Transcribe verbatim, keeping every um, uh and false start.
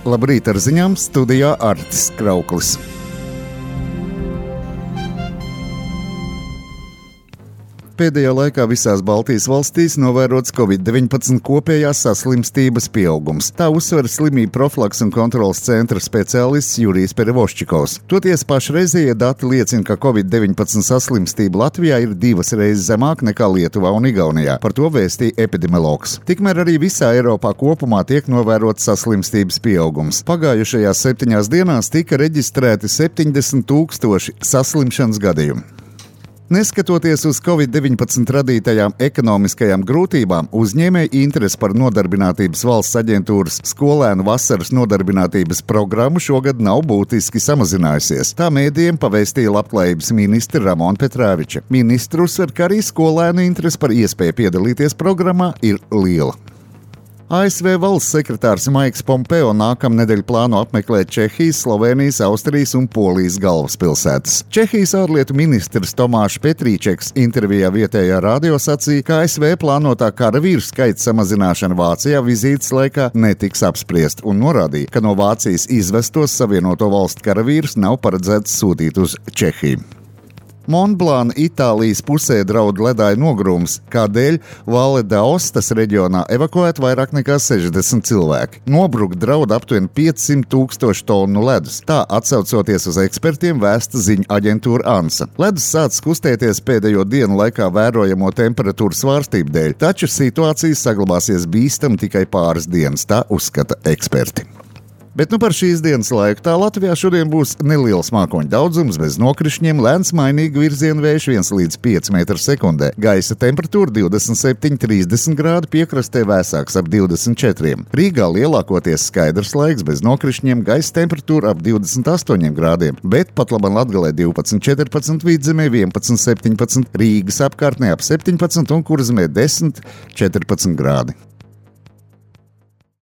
Labrīt ar ziņām, studijā Artis Krauklis. Pēdējā laikā visās Baltijas valstīs novērots covid deviņpadsmit kopējās saslimstības pieaugums. Tā uzsver slimību profilaks un kontrolas centra speciālists Jurijs Perevoščikovs. Toties pašreizējie dati liecina, ka covid deviņpadsmit saslimstība Latvijā ir divas reizes zemāk nekā Lietuvā un Igaunijā. Par to vēstīja epidemiologs. Tikmēr arī visā Eiropā kopumā tiek novērots saslimstības pieaugums. Pagājušajās septiņās dienās tika reģistrēti septiņdesmit tūkstoši saslimšanas gadījumu. Neskatoties uz covid deviņpadsmit radītajām ekonomiskajām grūtībām, uzņēmēju interese par Nodarbinātības valsts aģentūras skolēnu vasaras nodarbinātības programmu šogad nav būtiski samazinājusies. Tā mēdījiem pavēstīja Labklājības ministre Ramona Petrāviča. Ministru uzsver, ka arī skolēnu interese par iespēju piedalīties programmā ir liela. A S V valsts sekretārs Maiks Pompeo nākamnedēļ plāno apmeklēt Čehijas, Slovēnijas, Austrijas un Polijas galvaspilsētas. Čehijas ārlietu ministrs Tomāšs Petrīčeks intervijā vietējā radio sacīja, ka A S V plānotā karavīru skaita samazināšana Vācijā vizītes laikā netiks apspriest un norādīja, ka no Vācijas izvestos Savienoto valstu karavīrus nav paredzēts sūtīt uz Čehiju. Monblāna Itālijas pusē draud ledāja nogrūms, kādēļ Valle d'Aostas reģionā evakuēt vairāk nekā sešdesmit cilvēki. Nobrukt draud aptuveni piecsimt tūkstoši tonu ledus. Tā atsaucoties uz ekspertiem vēsta ziņu aģentūra ANSA. Ledus sācis kustēties pēdējo dienu laikā vērojamo temperatūru svārstību dēļ, taču situācija saglabāsies bīstam tikai pāris dienas, tā uzskata eksperti. Bet nu par šīs dienas laiku tā Latvijā šodien būs neliels mākoņu daudzums bez nokrišņiem, lēns mainīgu virzienu vējš viens līdz pieci metri sekundē. Gaisa temperatūra divdesmit septiņi trīsdesmit grādi, piekrastē vēsāks ap divdesmit četri. Rīgā lielākoties skaidrs laiks bez nokrišņiem, gaisa temperatūra ap divdesmit astoņi grādiem, bet pat labam Latgalē divpadsmit četrpadsmit, Vidzemē vienpadsmit septiņpadsmit, Rīgas apkārtnē ap septiņpadsmit un Kurzemē desmit četrpadsmit grādi.